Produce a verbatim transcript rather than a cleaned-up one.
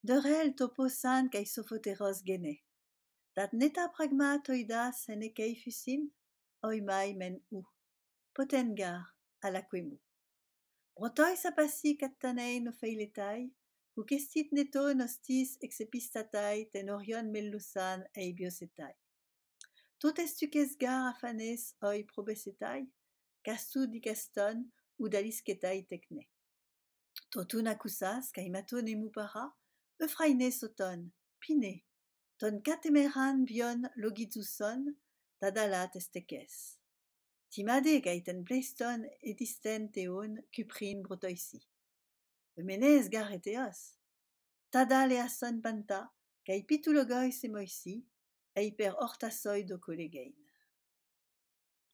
Derel toposan kai sofoteros gene. Dat neta pragma toida sene kei fusin, oi mai men u. Potengar, ala quemu. Brotoi sapasi kattanei no feiletai, ku kestit neto nostis exepistatai ten orion mellusan ei biosetai. Tot estu kesgar afanes oi probesetai, kastu di kaston ou dalisketai tekne. Totun akusas, kai maton emu para, eufraine soton, pine, ton katemeran bion logidzuson, tadalat estekes. Timade kai ten pleiston edisten teon kuprin brotoisi. Emenez gar eteos. Tadal e ason panta, kai pitulogoi se moisi, eiper ortasoi do kolegein.